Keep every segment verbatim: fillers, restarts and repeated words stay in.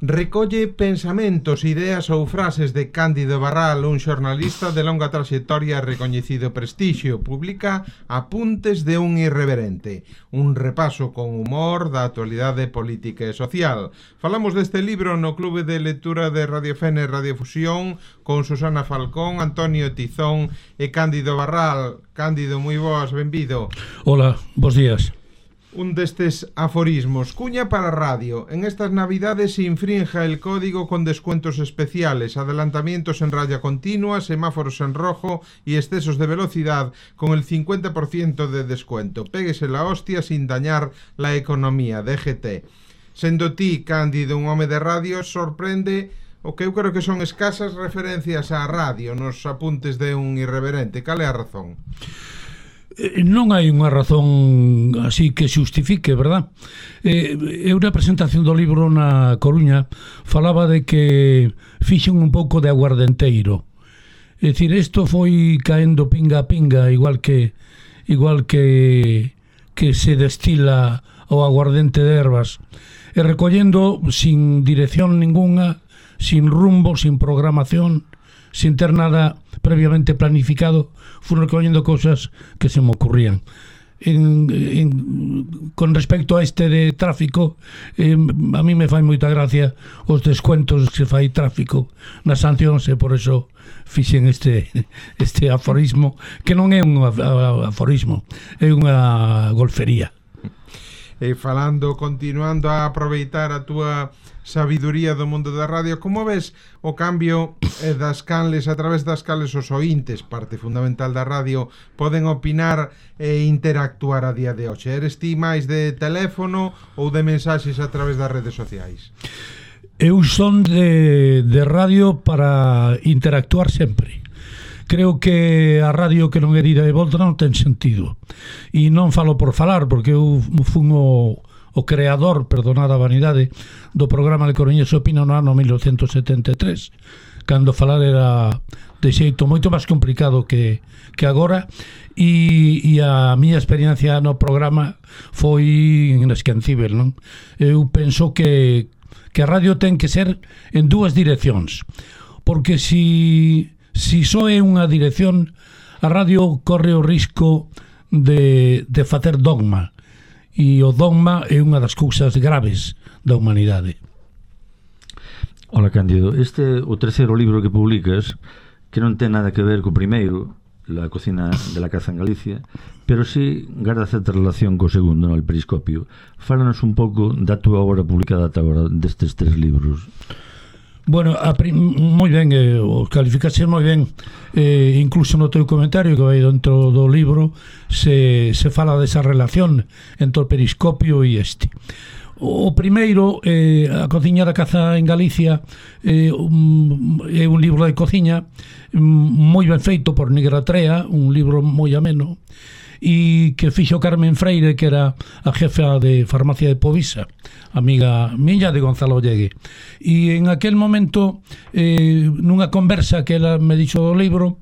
Recolle pensamentos, ideas ou frases de Cándido Barral, un xornalista de longa traxectoria e recoñecido prestixio. Publica Apuntes de un irreverente, un repaso con humor da actualidade política e social. Falamos deste libro no Clube de Lectura de Radio Fene e Radio Fusión con Susana Falcón, Antonio Tizón e Cándido Barral. Cándido, moi boas, benvido. Hola, bons días. Un destes aforismos. Cuña para radio. En estas navidades se infrinja el código con descuentos especiales, adelantamientos en raya continua, semáforos en rojo y excesos de velocidad con el cincuenta por ciento de descuento. Péguese la hostia sin dañar la economía. D G T. Sendo ti, Cándido, un home de radio, sorprende o que eu creo que son escasas referencias á radio nos apuntes de un irreverente. Cal é a razón? Non hai unha razón así que xustifique, verdad? Eh, eu na presentación do libro na Coruña falaba de que fixen un pouco de aguardenteiro. É dicir, isto foi caendo pinga a pinga, igual que igual que que se destila o aguardente de ervas, e recollendo sin dirección ninguna, sin rumbo, sin programación, sin ter nada previamente planificado, fui recollendo cosas que se me ocurrían. En, en, con respecto a este de tráfico, eh, a mí me fai moita gracia os descuentos que fai tráfico nas sancións, e por eso fixen este, este aforismo, que non é un aforismo, é unha golfería. E falando, continuando a aproveitar a túa sabiduría do mundo da radio, como ves o cambio eh, das canles, a través das cales os ointes, parte fundamental da radio, poden opinar e interactuar a día de hoxe? Eres ti máis de teléfono ou de mensaxes a través das redes sociais? Eu son de, de radio para interactuar sempre. Creo que a radio que non é dida de volta non ten sentido. E non falo por falar, porque eu fun o, o creador, perdonada a vanidade, do programa de Coruñés Opina no ano mil novecentos setenta e tres, cando falar era de xeito moito máis complicado que, que agora, e, e a miña experiencia no programa foi inesquecível, non? Eu penso que, que a radio ten que ser en dúas direccións, porque si... Si só é unha dirección, a radio corre o risco de, de facer dogma, e o dogma é unha das cousas graves da humanidade. Hola, Cándido, este o terceiro libro que publicas, que non ten nada que ver co primeiro, La cocina de la caza en Galicia, pero sí garda certa relación co segundo, no, El Periscopio. Fálanos un pouco da túa obra publicada ata agora destes tres libros. Bueno, a prim, moi ben, eh, os calificase moi ben, eh, incluso no teu comentario que vai dentro do libro se, se fala desa relación entre o Periscopio e este. O primeiro, eh, A cociña da caza en Galicia, eh, un, é un libro de cociña moi ben feito por Negra Trea, un libro moi ameno, e que fixo Carmen Freire, que era a jefa de farmacia de Povisa, amiga miña de Gonzalo Llegue. E en aquel momento, eh, nunha conversa que ela me dixo do libro,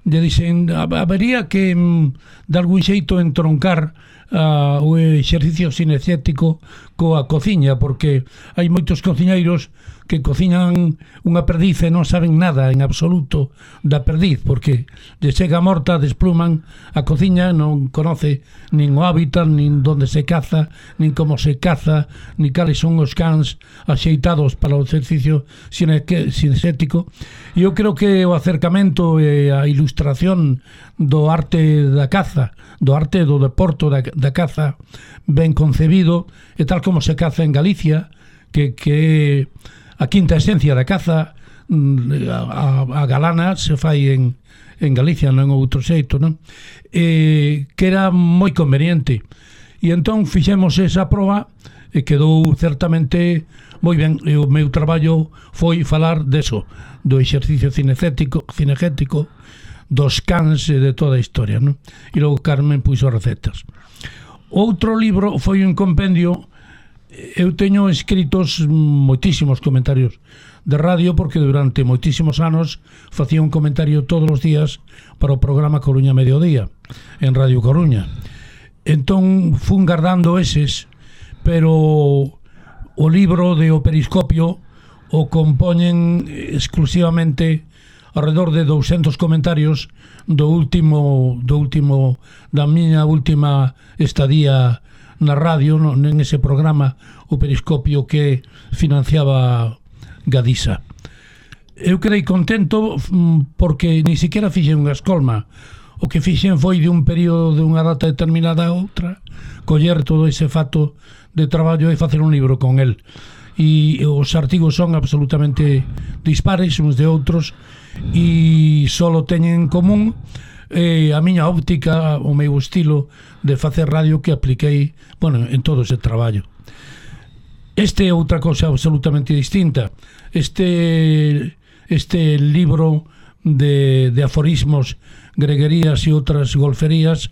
lle dixen, habería que de algún xeito entroncar uh, o exercicio cinecético coa cociña, porque hai moitos cociñeiros que cociñan unha perdiz e non saben nada en absoluto da perdiz, porque de chega morta, despluman a cociña, non conoce nin o hábitat, nin onde se caza, nin como se caza, nin cales son os cans axeitados para o exercicio cinecético. E eu creo que o acercamento e a ilustración do arte da caza, do arte do deporto da, da caza ben concebido, e tal como se caza en Galicia, que, que a quinta esencia da caza, a, a galana se fai en, en Galicia, non en outro xeito, non? E, que era moi conveniente. E entón fixemos esa proba e quedou certamente moi ben. E o meu traballo foi falar deso, do exercicio cinecético, cinegético, dos cans e de toda a historia, non? E logo Carmen puxo recetas. Outro libro foi un compendio. Eu teño escritos moitísimos comentarios de radio, porque durante moitísimos anos facía un comentario todos os días para o programa Coruña Mediodía en Radio Coruña. Entón fun guardando eses, pero o libro de O Periscopio o compoñen exclusivamente alrededor de doscientos comentarios do último do último da miña última estadía na radio, no, en ese programa o Periscopio que financiaba Gadisa. Eu quedei contento porque ni siquiera fixen unha escolma. O que fixen foi de un período de unha data determinada a outra coller todo ese fato de traballo e facer un libro con el. E os artigos son absolutamente dispares uns de outros e só teñen en común eh, a miña óptica, o meu estilo de facer radio que apliquei, bueno, en todo ese traballo. Este é outra cosa absolutamente distinta. Este este libro de, de aforismos, greguerías e outras golferías,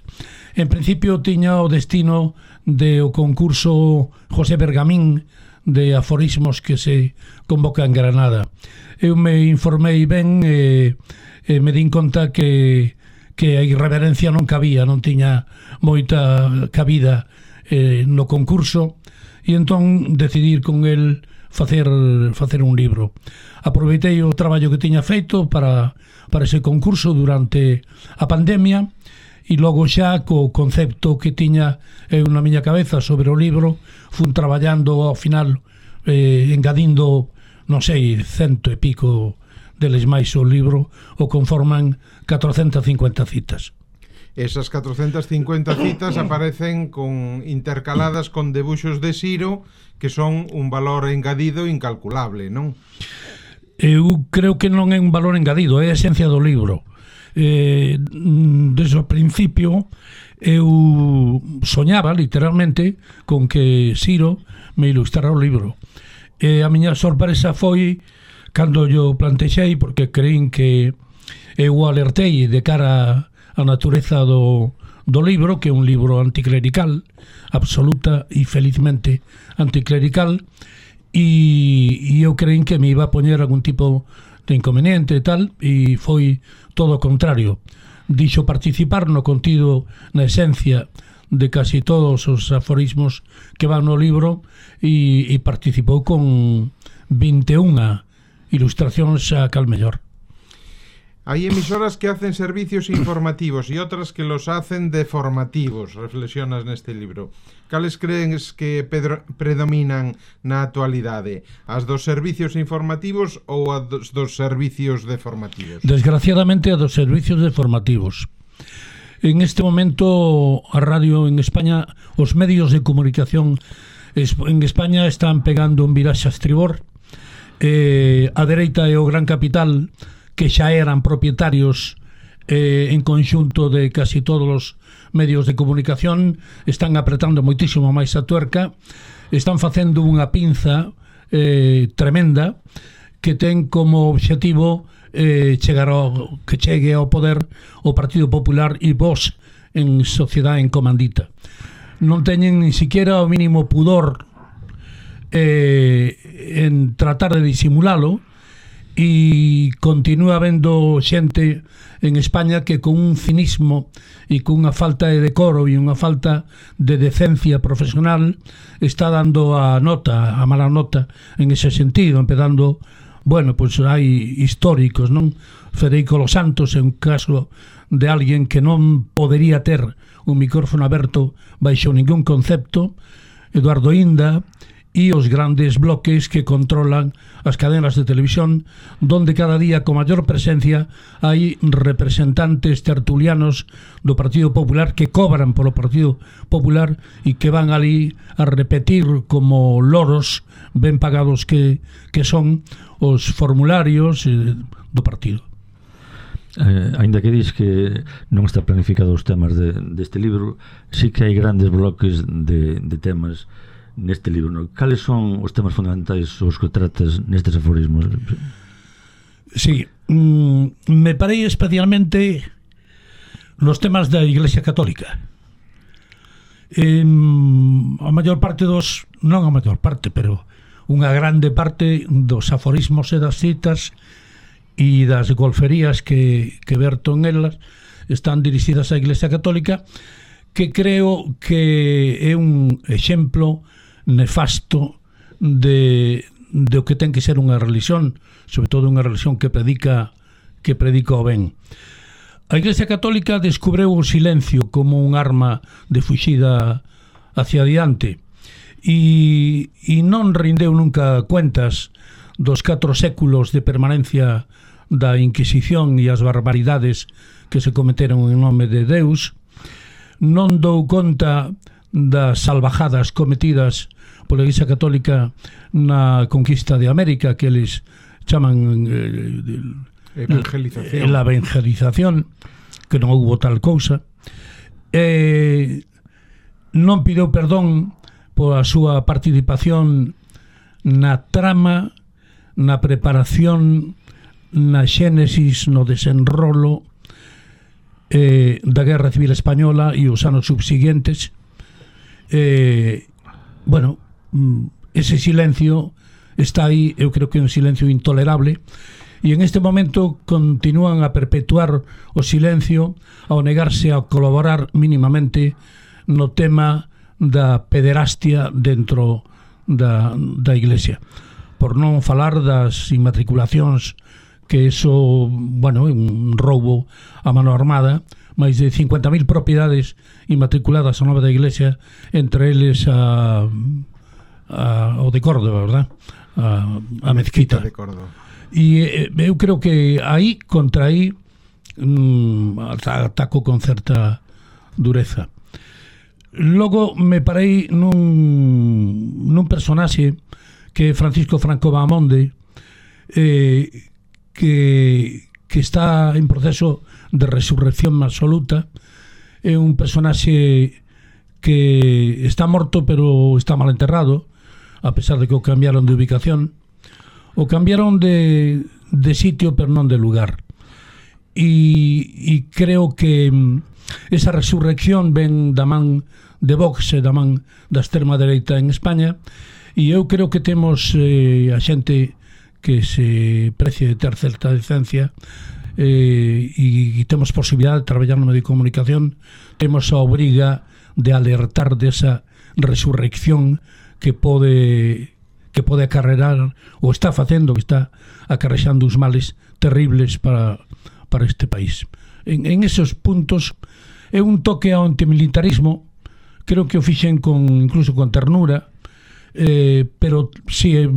en principio tiña o destino de o concurso José Bergamín de aforismos que se convoca en Granada. Eu me informei ben e, e me din conta que, que a irreverencia non cabía, non tiña moita cabida eh, no concurso, e entón decidir con el facer, facer un libro. Aproveitei o traballo que tiña feito para, para ese concurso durante a pandemia e logo xa co concepto que tiña eu na miña cabeza sobre o libro fun traballando ao final eh, engadindo, non sei, cento e pico deles máis o libro o conforman catrocentas cincuenta citas. Esas catrocentas cincuenta citas aparecen con intercaladas con debuxos de Siro que son un valor engadido incalculable, non? Eu creo que non é un valor engadido, é a esencia do libro. Eh, desde o principio eu soñaba literalmente con que Siro me ilustrara o libro. E a miña sorpresa foi cando yo plantexei, porque creín que eu alertei de cara a natureza do, do libro, que é un libro anticlerical, absoluta e felizmente anticlerical, e, e eu creín que me iba a poñer algún tipo de inconveniente e tal, e foi todo o contrario. Dixo participar no contido, na esencia de casi todos os aforismos que van no libro, e, e participou con vinte e unha ilustracións a cal mellor. Hay emisoras que hacen servicios informativos y otras que los hacen deformativos, reflexionas neste libro. Cales crees que pedro, predominan na actualidade? As dos servicios informativos ou as dos, dos servicios deformativos? Desgraciadamente a dos servicios deformativos. En este momento a radio en España, os medios de comunicación en España están pegando un viraxe a estribor. Eh, a dereita e o gran capital, que xa eran propietarios eh, en conxunto de casi todos os medios de comunicación, están apretando moitísimo máis a tuerca, están facendo unha pinza eh, tremenda que ten como obxectivo eh, chegar ao, que chegue ao poder o Partido Popular e Vox en sociedade en comandita. Non teñen ni siquiera o mínimo pudor eh, en tratar de disimulalo, e continúa habendo xente en España que con un cinismo e con unha falta de decoro e unha falta de decencia profesional está dando a nota, a mala nota en ese sentido, empezando, bueno, pois pues hai históricos, non? Federico Los Santos é un caso de alguén que non podería ter un micrófono aberto baixo ningún concepto, Eduardo Inda, e os grandes bloques que controlan as cadenas de televisión, donde cada día con maior presencia hai representantes tertulianos do Partido Popular que cobran polo Partido Popular e que van ali a repetir como loros ben pagados que, que son os formularios do partido. Eh, ainda que dis que non está planificado os temas de, deste libro, sí que hai grandes bloques de, de temas neste libro, ¿no? Cales son os temas fundamentais os que tratas nestes aforismos? Sí, mm, me parei especialmente nos temas da Iglesia Católica. Eh, a maior parte dos, non a maior parte, pero unha grande parte dos aforismos e das citas e das golferías que, que verto en elas están dirixidas á Iglesia Católica, que creo que é un exemplo nefasto de, de o que ten que ser unha religión, sobre todo unha religión que predica que predica o ben. A Iglesia Católica descubreu o silencio como un arma de fuxida hacia adiante e, e non rindeu nunca cuentas dos catro séculos de permanencia da Inquisición e as barbaridades que se cometeron en nome de Deus. Non dou conta das salvajadas cometidas pola Iglesia Católica na conquista de América, que eles chaman eh, evangelización. la evangelización, que non houbo tal cousa. Eh, non pideu perdón pola súa participación na trama, na preparación, na xénesis, no desenrolo eh, da Guerra Civil Española e os anos subsiguientes. Eh, bueno, ese silencio está aí, eu creo que é un silencio intolerable, e en este momento continúan a perpetuar o silencio ao negarse a colaborar mínimamente no tema da pederastia dentro da, da Iglesia, por non falar das inmatriculacións, que eso, bueno, é un roubo a mano armada, máis de cincuenta mil propiedades inmatriculadas ao nome da Iglesia, entre eles a, a o de Córdoba, verdad? A, a mezquita de Córdoba. E eu creo que aí, contra aí, mm, ataco con certa dureza. Logo me parei nun, nun personaxe que é Francisco Franco Bahamonde, eh, que, que está en proceso de resurrección absoluta. É un personaxe que está morto pero está mal enterrado, a pesar de que o cambiaron de ubicación, o cambiaron de, de sitio pero non de lugar. E, e creo que esa resurrección ven da man de Vox e da man da extrema dereita en España, e eu creo que temos eh, a xente que se precie de ter certa decencia, eh, e, e temos posibilidade de traballar no medio de comunicación, temos a obriga de alertar desa resurrección que pode que pode acarrear, ou está facendo, que está acarrexando uns males terribles para, para este país. En, en esos puntos é un toque ao antimilitarismo, creo que o fixen con, incluso con ternura, eh, pero si sí,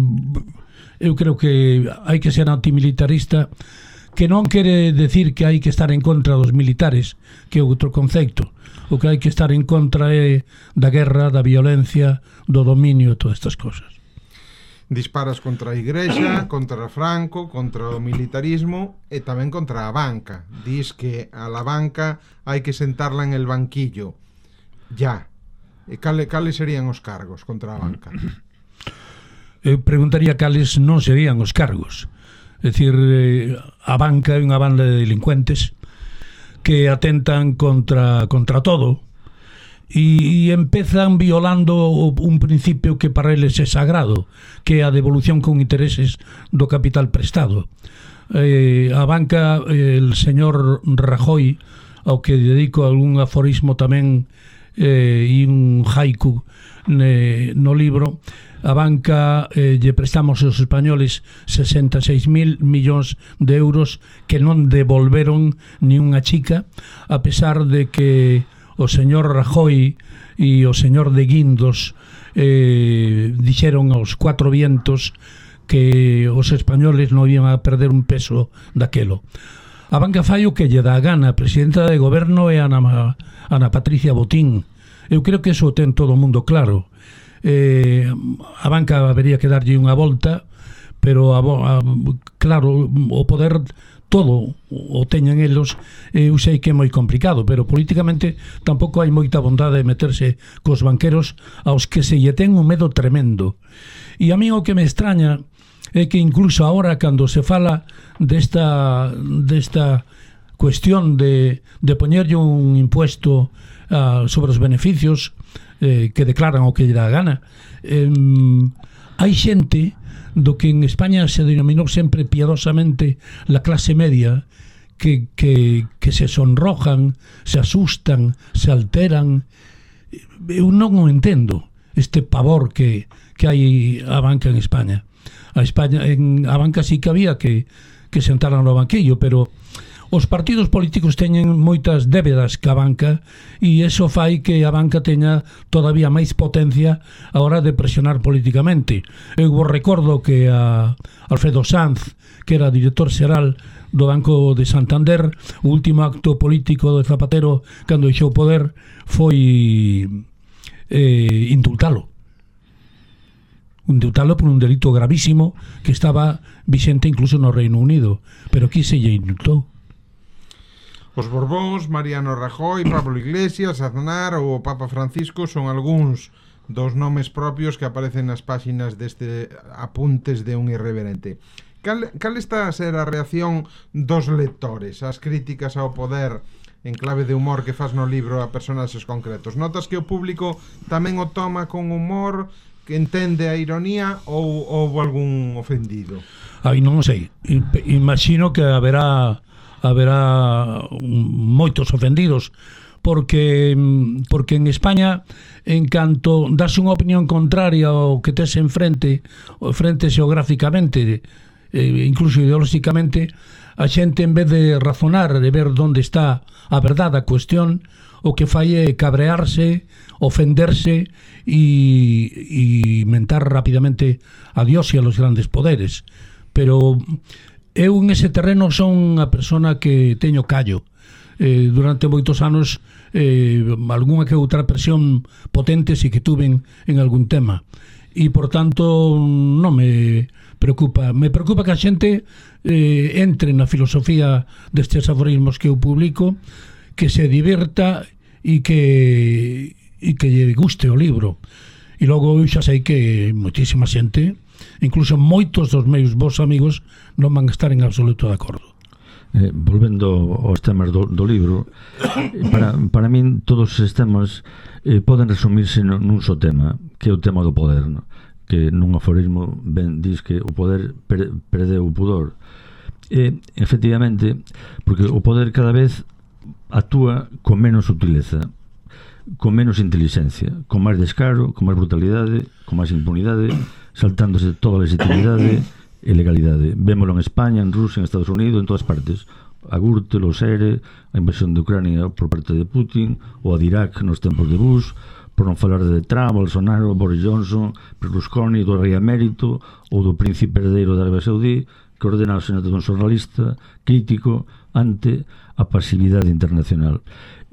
eu creo que hai que ser antimilitarista, que non quere decir que hai que estar en contra dos militares, que é outro conceito. O que hai que estar en contra é da guerra, da violencia, do dominio e todas estas cosas. Disparas contra a Igrexa, contra Franco, contra o militarismo e tamén contra a banca. Dis que a la banca hai que sentarla en el banquillo. Ya. E cale, cales serían os cargos contra a banca? Eu preguntaría cales non serían os cargos. É dicir, a banca é unha banda de delincuentes que atentan contra, contra todo, e, e empezan violando un principio que para eles é sagrado, que é a devolución con intereses do capital prestado. Eh, a banca, eh, el señor Rajoy, ao que dedico algún aforismo tamén eh, e un haiku ne, no libro, a banca eh, lle prestamos aos españoles sesenta e seis mil millóns de euros que non devolveron ni unha chica, a pesar de que o señor Rajoy e o señor de Guindos eh, dixeron aos cuatro vientos que os españoles non iban a perder un peso daquelo. A banca fai o que lle dá a gana. A presidenta de goberno é Ana, Ana Patricia Botín. Eu creo que eso ten todo o mundo claro. Eh, a banca habería que darlle unha volta, pero a, a, claro, o poder todo o teñen eles. Eu sei que é moi complicado, pero políticamente tampouco hai moita bondade de meterse cos banqueros aos que se lle ten un medo tremendo. E a mí o que me extraña é que incluso ahora, cando se fala desta desta cuestión de, de poñerlle un impuesto uh, sobre os beneficios eh, que declaran o que lle dá a gana, eh, hai xente do que en España se denominou sempre piadosamente la clase media, que, que, que se sonrojan, se asustan, se alteran. Eu non o entendo, este pavor que, que hai a banca en España. A España, en a banca sí que había que, que sentaran no banquillo, pero os partidos políticos teñen moitas débedas ca banca e iso fai que a banca teña todavía máis potencia a hora de presionar políticamente. Eu vos recordo que a Alfredo Sanz, que era director xeral do Banco de Santander, o último acto político de Zapatero cando deixou o poder foi eh, indultalo. Indultalo por un delito gravísimo que estaba vixente incluso no Reino Unido, pero aquí se lle indultou. Os Borbóns, Mariano Rajoy, Pablo Iglesias, Aznar ou o Papa Francisco son algúns dos nomes propios que aparecen nas páxinas deste Apuntes de un irreverente. Cal, cal está a ser a reacción dos lectores, as críticas ao poder en clave de humor que faz no libro a personaxes concretos? Notas que o público tamén o toma con humor, que entende a ironía, ou houve algún ofendido? Ai, non sei. Imagino que haberá haberá moitos ofendidos porque porque en España, en canto das unha opinión contraria ao que tes en frente, frente xeográficamente, eh, incluso ideolóxicamente, a xente en vez de razonar, de ver onde está a verdade a cuestión, o que fai é cabrearse, ofenderse e, e mentar rapidamente a Dios e a los grandes poderes. Pero eu en ese terreno son unha persona que teño callo. Eh, durante moitos anos eh, algunha que outra presión potente si que tuven en algún tema e por tanto non me preocupa. Me preocupa que a xente eh, entre na filosofía destes aforismos que eu publico, que se divirta e que e que lle guste o libro. E logo eu xa sei que moitísima xente, incluso moitos dos meus vos amigos, non van a estar en absoluto de acordo. Eh, volvendo aos temas do, do libro, para, para min todos estes temas eh, poden resumirse nun só tema, que é o tema do poder, no? Que nun aforismo ben diz que o poder per, perdeu o pudor. E, efectivamente, porque o poder cada vez actúa con menos sutileza, con menos inteligencia, con máis descaro, con máis brutalidade, con máis impunidade, saltándose toda a legitimidade e legalidade. Vémolo en España, en Rusia, en Estados Unidos, en todas partes. A Gürtel, o Sere, a invasión de Ucrania por parte de Putin, ou a de Irak nos tempos de Bush, por non falar de Trump, Bolsonaro, Boris Johnson, Berlusconi, do rei emérito, ou do príncipe herdeiro da Arabia Saudí, que ordena o asesinato dun xornalista crítico ante a pasividade internacional.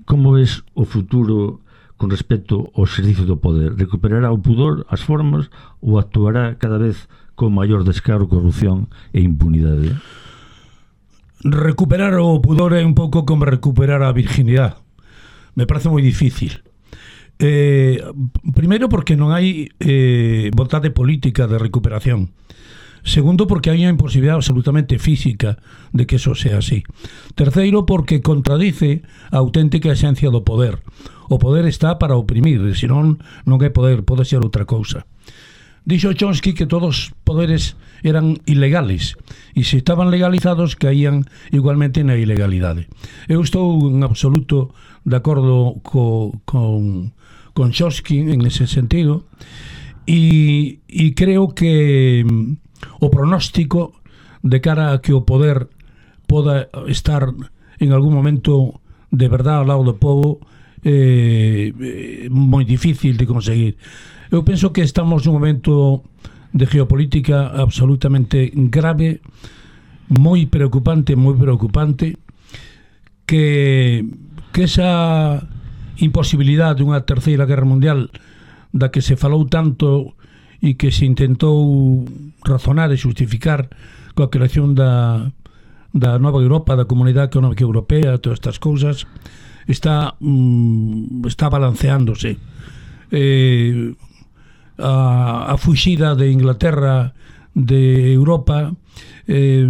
Como ves o futuro con respecto ao exercicio do poder? Recuperará o pudor, as formas, ou actuará cada vez con maior descaro, corrupción e impunidade? Recuperar o pudor é un pouco como recuperar a virginidade. Me parece moi difícil. Eh, primeiro porque non hai eh, vontade política de recuperación. Segundo, porque hai unha imposibilidade absolutamente física de que eso sea así. Terceiro, porque contradice a auténtica esencia do poder. O poder está para oprimir, senón non hai poder, pode ser outra cousa. Dixo Chomsky que todos os poderes eran ilegales e se estaban legalizados caían igualmente na ilegalidade. Eu estou en absoluto de acordo co, con, con Chomsky en ese sentido e, e creo que o pronóstico de cara a que o poder poda estar en algún momento de verdad ao lado do povo é eh, moi difícil de conseguir. Eu penso que estamos nun momento de geopolítica absolutamente grave, moi preocupante, moi preocupante, que, que esa imposibilidade dunha terceira guerra mundial da que se falou tanto e que se intentou razonar e justificar coa creación da, da nova Europa, da Comunidade Económica Europea, todas estas cousas, está, mm, está balanceándose. Eh, a, a fuxida de Inglaterra de Europa, eh,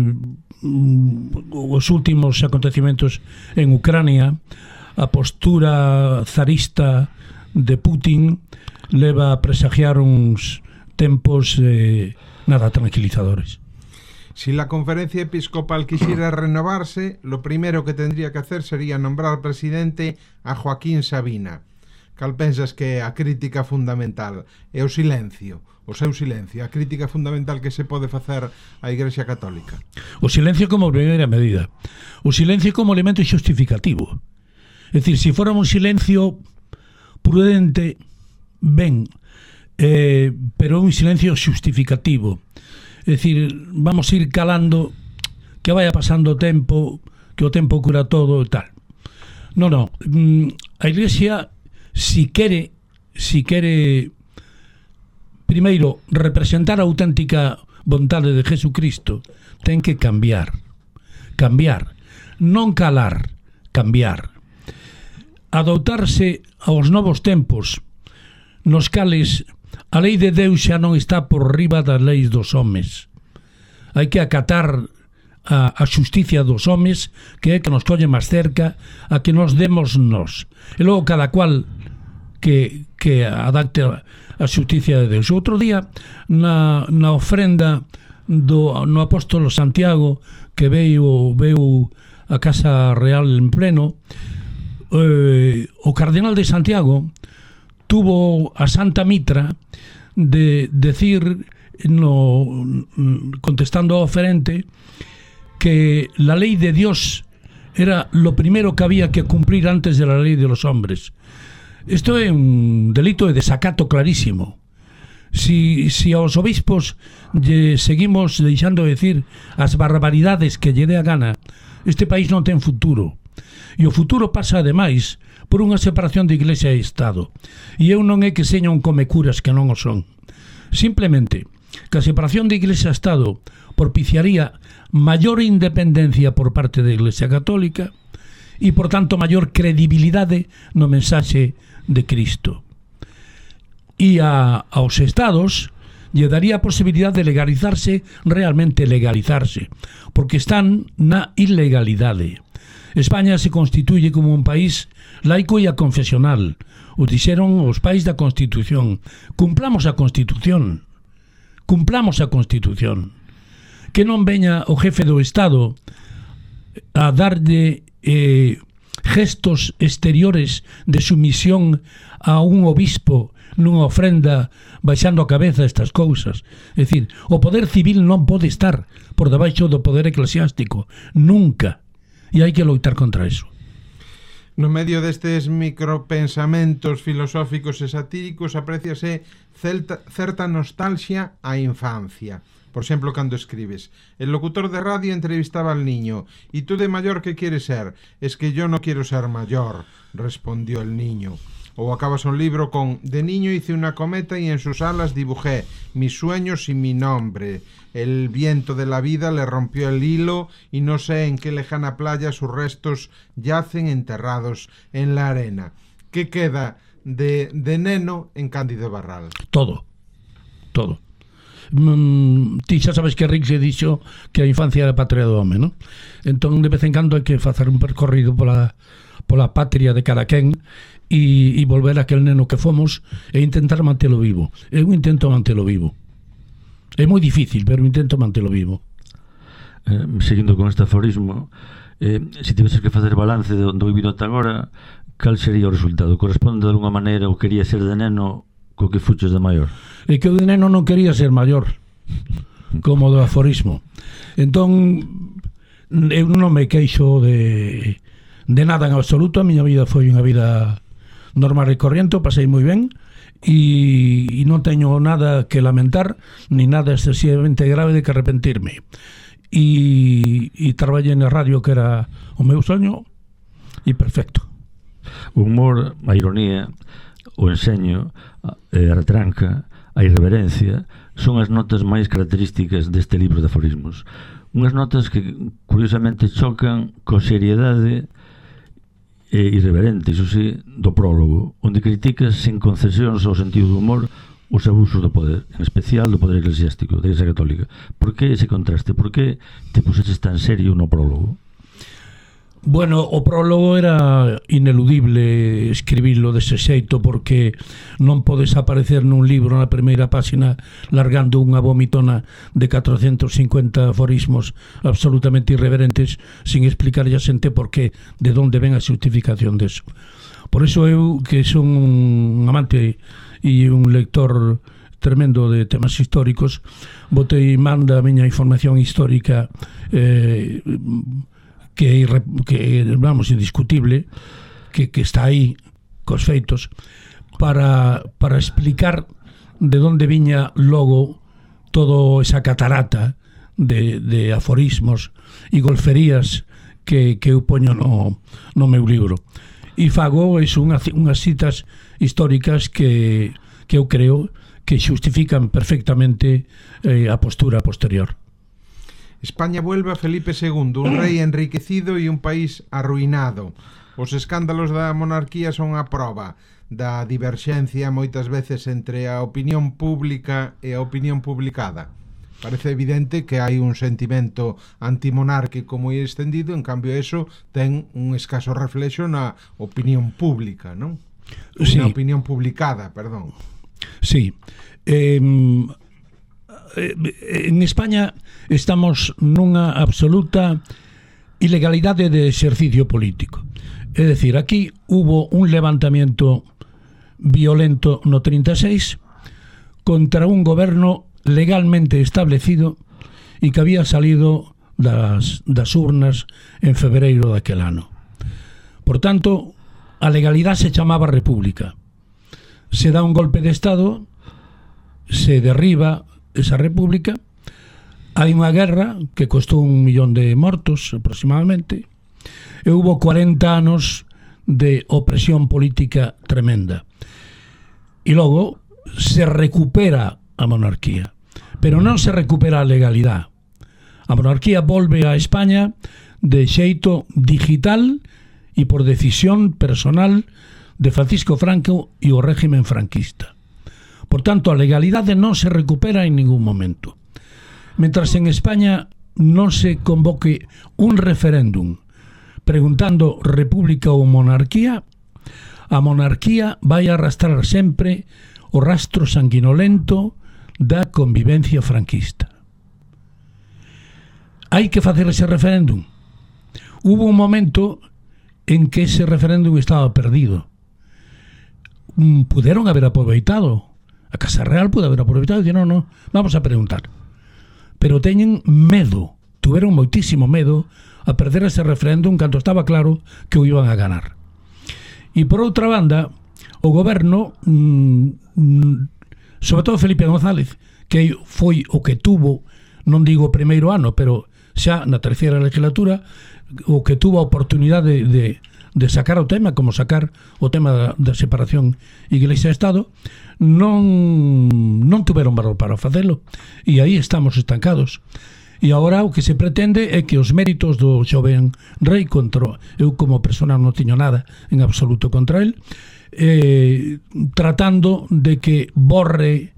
os últimos acontecimentos en Ucrania, a postura zarista de Putin leva a presagiar uns tempos eh, nada tranquilizadores. Si la conferencia episcopal quisiera renovarse, lo primero que tendría que hacer sería nombrar presidente a Joaquín Sabina. cal pensas que é a crítica fundamental? É o silencio, o seu silencio, a crítica fundamental que se pode facer á Igrexa Católica? O silencio como primeira medida. O silencio como elemento xustificativo. É dicir, se fora un silencio prudente, ben, eh, pero un silencio xustificativo. É dicir, vamos a ir calando, que vaya pasando o tempo, que o tempo cura todo e tal. Non, non. A Iglesia, si quere, si quere primeiro representar a auténtica vontade de Jesucristo, ten que cambiar. Cambiar. Non calar, cambiar. Adoptarse aos novos tempos, nos cales a lei de Deus xa non está por riba das leis dos homes. Hai que acatar a, a xusticia dos homes, que é que nos colle máis cerca a que nos demos nós. E logo cada cual que, que adapte a, a xusticia de Deus. Outro día, na, na ofrenda do, no apóstolo Santiago, que veio, veio a Casa Real en pleno, eh, o cardenal de Santiago tuvo a Santa Mitra de decir, no, contestando ao oferente, que la ley de Dios era lo primero que había que cumplir antes de la ley de los hombres. Esto é un delito de desacato clarísimo. Si, si aos obispos lle seguimos deixando decir as barbaridades que lle dé a gana, este país non ten futuro. E o futuro pasa, ademais, por unha separación de Iglesia e Estado. E eu non é que seña un comecuras, que non o son. Simplemente, que a separación de Iglesia e Estado propiciaría maior independencia por parte da Iglesia Católica e, por tanto, maior credibilidade no mensaxe de Cristo. E a, aos Estados lle daría a posibilidade de legalizarse, realmente legalizarse, porque están na ilegalidade. España se constituye como un país laico e aconfesional. O dixeron os pais da Constitución. Cumplamos a Constitución. Cumplamos a Constitución. Que non veña o jefe do Estado a darlle eh, gestos exteriores de sumisión a un obispo nunha ofrenda baixando a cabeza estas cousas. É dicir, o poder civil non pode estar por debaixo do poder eclesiástico. Nunca. E hai que loitar contra eso. No medio destes micropensamentos filosóficos e satíricos apréciase celta, certa nostalgia á infancia. Por exemplo, cando escribes: el locutor de radio entrevistaba al niño. ¿Y tú de mayor qué quieres ser? Es que yo no quiero ser mayor, respondió el niño. O acabas un libro con: de niño hice una cometa y en sus alas dibujé mis sueños y mi nombre. El viento de la vida le rompió el hilo y no sé en qué lejana playa sus restos yacen enterrados en la arena. ¿Qué queda de, de neno en Cándido Barral? Todo, todo. Mm, ti xa sabes que Rick se dixo que a infancia era a patria do home, non? Entón, de vez en cando hai que facer un percorrido pola, pola patria de cada quen e, e volver a aquel neno que fomos e intentar mantelo vivo. Eu intento mantelo vivo. É moi difícil, pero intento mantelo vivo. Eh, seguindo con este aforismo, eh, se tiveses que facer balance do, do vivido ata agora, cal sería o resultado? Corresponde de alguna maneira o quería ser de neno co que fuches de maior? E que o de neno non quería ser maior, como do aforismo. Entón, eu non me queixo de, de nada en absoluto. A miña vida foi unha vida normal e corriente, pasei moi ben, e, e non teño nada que lamentar, ni nada excesivamente grave de que arrepentirme. E, e traballei na radio, que era o meu soño, e perfecto. O humor, a ironía, o enseño, a retranca, a irreverencia son as notas máis características deste libro de aforismos. Unhas notas que curiosamente chocan co seriedade e irreverente, iso sí, do prólogo, onde criticas sen concesións ao sentido do humor os abusos do poder, en especial do poder eclesiástico da Igrexa Católica. Por que ese contraste? Por que te puseches tan serio no prólogo? Bueno, o prólogo era ineludible escribirlo dese xeito, porque non podes aparecer nun libro na primeira páxina largando unha vomitona de catrocentos cincuenta aforismos absolutamente irreverentes sin explicarlle a xente por qué, de onde ven a xustificación deso. Por iso eu, que son un amante e un lector tremendo de temas históricos, botei manda a miña información histórica eh, que, que vamos, indiscutible, que, que está aí cos feitos, para, para explicar de onde viña logo toda esa catarata de, de aforismos e golferías que, que eu poño no, no meu libro. E fago es unhas, unhas citas históricas que, que eu creo que xustifican perfectamente eh, a postura posterior. España vuelve a Felipe segundo, un rei enriquecido e un país arruinado. Os escándalos da monarquía son a prova da diverxencia moitas veces entre a opinión pública e a opinión publicada. Parece evidente que hai un sentimento antimonárquico moi extendido, en cambio eso ten un escaso reflexo na opinión pública, non? Sí. Na opinión publicada, perdón. Sí. Eh, en España estamos nunha absoluta ilegalidade de exercicio político. É dicir, aquí hubo un levantamiento violento no trinta e seis contra un goberno legalmente establecido e que había salido das, das urnas en febreiro daquel ano. Por tanto, a legalidade se chamaba República. Se dá un golpe de Estado, se derriba esa república, hai unha guerra que costou un millón de mortos aproximadamente, e hubo cuarenta anos de opresión política tremenda. E logo se recupera a monarquía, pero non se recupera a legalidade. A monarquía volve a España de xeito digital e por decisión personal de Francisco Franco e o régimen franquista. Por tanto, a legalidade non se recupera en ningún momento. Mentras en España non se convoque un referéndum preguntando república ou monarquía, a monarquía vai arrastrar sempre o rastro sanguinolento da convivencia franquista. Hai que facer ese referéndum. Hubo un momento en que ese referéndum estaba perdido. Puderon haber aproveitado, a Casa Real pude haber aproveitado e dicir, non, non, vamos a preguntar. Pero teñen medo, tuveron moitísimo medo a perder ese referéndum cando estaba claro que o iban a ganar. E por outra banda, o goberno, mmm, sobre todo Felipe González, que foi o que tuvo, non digo o primeiro ano, pero xa na terceira legislatura, o que tuvo a oportunidade de, de sacar o tema, como sacar o tema da, da separación Iglesia-Estado, non, non tuveron valor para facelo, e aí estamos estancados. E agora o que se pretende é que os méritos do xoven rei, contra eu como persona non tiño nada en absoluto contra el, eh, tratando de que borre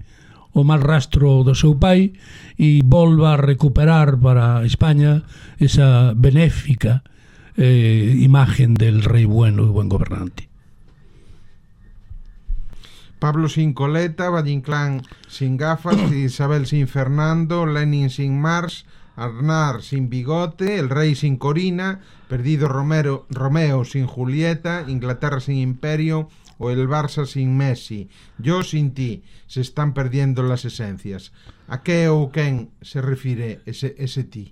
o mal rastro do seu pai e volva a recuperar para España esa benéfica eh, imagen del rei bueno e buen gobernante. Pablo sin coleta, Valle Inclán sin gafas, Isabel sin Fernando, Lenin sin Mars, Aznar sin bigote, el rey sin Corina, perdido Romero, Romeo sin Julieta, Inglaterra sin imperio o el Barça sin Messi. Yo sin ti. Se están perdiendo las esencias. A que ou quen se refire ese, ese ti?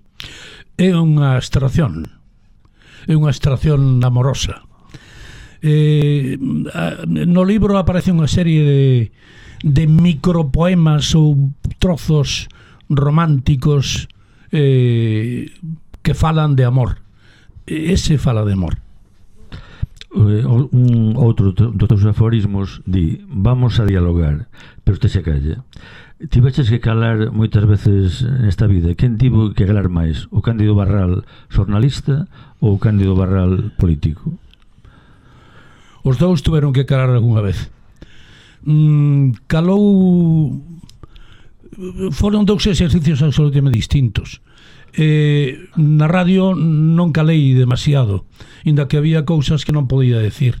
É unha abstracción. É unha abstracción amorosa. Eh, no libro aparece unha serie de, de micropoemas ou trozos románticos eh, que falan de amor. Ese fala de amor. Eh, un outro dos teus aforismos di: vamos a dialogar, pero usted se calla. Tiveches que calar moitas veces nesta vida. Quen tivo que calar máis? O Cándido Barral xornalista ou o Cándido Barral político? Os dous tuveron que calar algunha vez. Mm, calou... Foron dous exercicios absolutamente distintos. Eh, na radio non calei demasiado, inda que había cousas que non podía decir.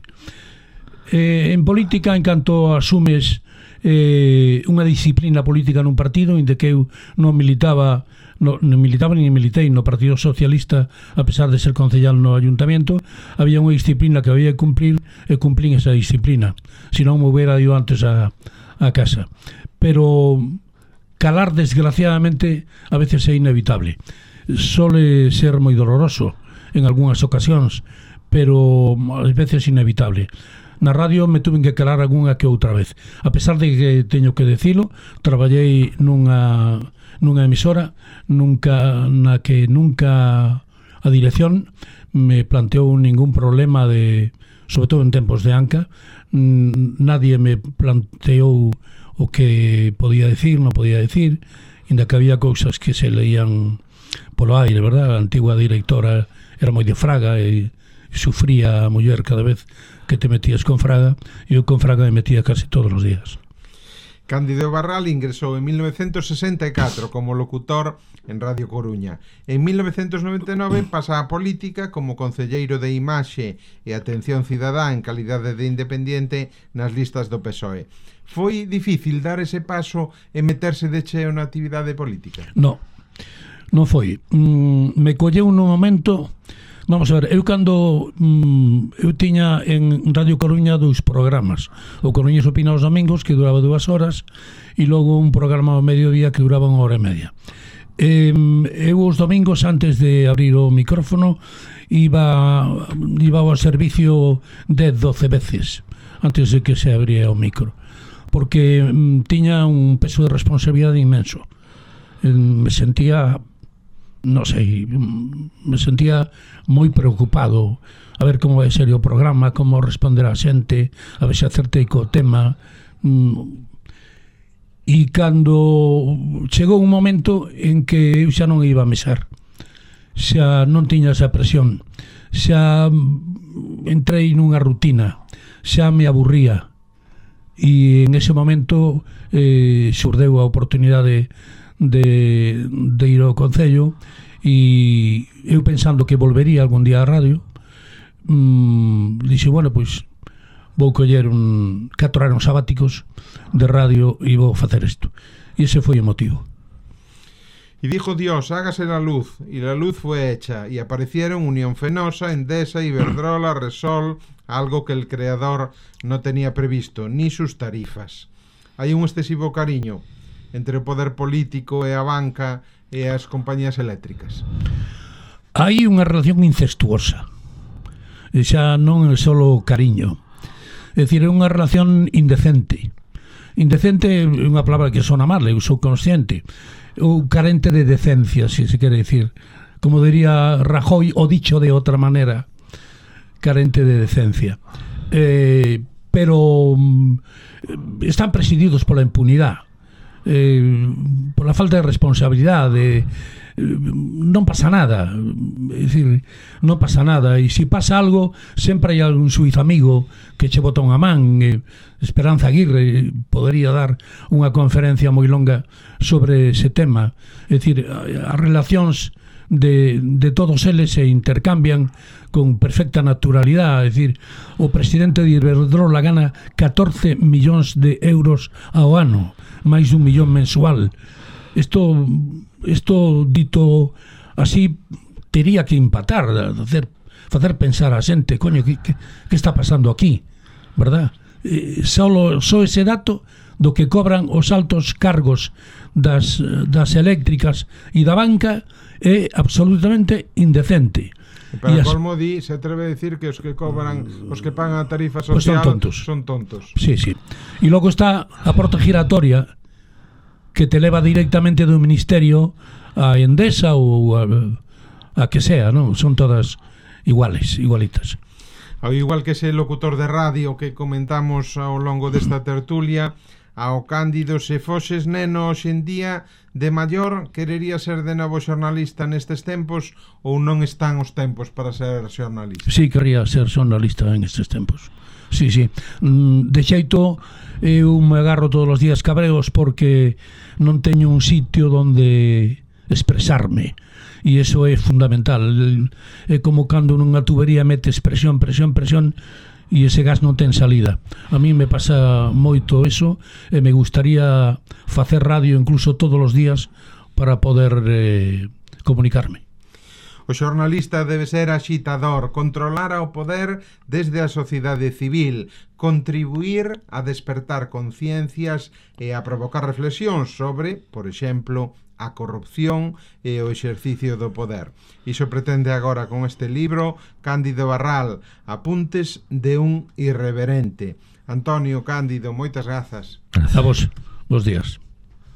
Eh, en política, en canto asumes eh, unha disciplina política nun partido, inda que eu non militaba no, non militaba nin militei no Partido Socialista, a pesar de ser concellal no Ayuntamiento. Había unha disciplina que había que cumplir e cumplín esa disciplina, se non me hubiera ido antes a, a casa. Pero calar, desgraciadamente, a veces é inevitable. Sole ser moi doloroso en algunhas ocasións, pero ás veces inevitable. Na radio me tuve que calar algunha que outra vez, a pesar de que teño que decilo, traballei nunha nunha emisora nunca na que nunca a dirección me planteou ningún problema de, sobre todo en tempos de Anca, nadie me planteou o que podía decir, non podía decir, inda que había cousas que se leían polo aire, verdad? A antigua directora era moi de Fraga e sufría a muller cada vez que te metías con Fraga, e eu con Fraga me metía casi todos os días. Cándido Barral ingresou en mil novecientos sesenta e catro como locutor en Radio Coruña. En mil novecientos noventa e nove pasa a política como concelleiro de Imaxe e Atención Cidadá en calidade de independiente nas listas do P S O E. Foi difícil dar ese paso e meterse de cheo na actividade política? No, non foi. Mm, me colleu nun momento... Vamos a ver, eu cando mm, eu tiña en Radio Coruña dous programas. O Coruñés Opina os domingos, que duraba dúas horas, e logo un programa ao mediodía que duraba unha hora e media. Eh, eu os domingos, antes de abrir o micrófono, iba, iba ao servicio dez, doce veces antes de que se abría o micro, porque mm, tiña un peso de responsabilidade inmenso. Eh, me sentía... non sei, me sentía moi preocupado a ver como vai ser o programa, como responder a xente, a ver se acertei co tema. E cando chegou un momento en que eu xa non iba a mesar, xa non tiña esa presión, xa entrei nunha rutina, xa me aburría, e en ese momento eh, xurdeu a oportunidade De, de ir ao Concello, e eu pensando que volvería algún día á radio, mmm, dixe, bueno, pois vou coller un catro anos sabáticos de radio e vou facer isto, e ese foi o motivo. Y dijo Dios, hágase la luz, y la luz fue hecha, y aparecieron Unión Fenosa, Endesa, Iberdrola, Resol, algo que el creador no tenía previsto, ni sus tarifas. Hai un excesivo cariño entre o poder político e a banca e as compañías eléctricas. Hai unha relación incestuosa, e xa non é só cariño, é dicir, é unha relación indecente. Indecente é unha palabra que sona mal, eu sou consciente, ou carente de decencia, se se quere dicir, como diría Rajoy, o dicho de outra manera, carente de decencia. Eh, pero están presididos pola impunidade, Eh, por la falta de responsabilidade, eh, non pasa nada, é dicir, non pasa nada, e se pasa algo sempre hai algún suizo amigo que che bota unha man. eh, Esperanza Aguirre podería dar unha conferencia moi longa sobre ese tema. É dicir, as relacións de, de todos eles se intercambian con perfecta naturalidade. É dicir, o presidente de Iberdrola gana catorce millóns de euros ao ano, máis dun millón mensual. Isto, isto dito así, tería que empatar, facer, facer pensar a xente, coño, que, que, que está pasando aquí, verdad? Eh, só, só ese dato do que cobran os altos cargos das, das eléctricas e da banca é absolutamente indecente. Para as... colmo di, se atreve a decir que os que cobran, os que pagan a tarifa social, pues son tontos. Son tontos. Sí, sí. E logo está a porta giratoria que te leva directamente do Ministerio a Endesa ou a, a que sea, non? Son todas iguales, igualitas. Ao igual que ese locutor de radio que comentamos ao longo desta tertulia, ao Cándido, se foses neno hoxe en día de maior, querería ser de novo xornalista nestes tempos, ou non están os tempos para ser xornalista? Sí, quería ser xornalista en estes tempos. Sí, sí. De xeito, eu me agarro todos os días cabreos porque non teño un sitio onde expresarme, e iso é fundamental. É como cando nunha tubería metes presión, presión, presión, e ese gas non ten salida. A mí me pasa moito eso, e me gustaría facer radio incluso todos os días para poder eh, comunicarme. O xornalista debe ser axitador, controlar ao poder desde a sociedade civil, contribuir a despertar conciencias e a provocar reflexións sobre, por exemplo, a corrupción e o exercicio do poder. Iso pretende agora con este libro Cándido Barral, Apuntes de un irreverente. Antonio, Cándido, moitas grazas. A vos, bons días.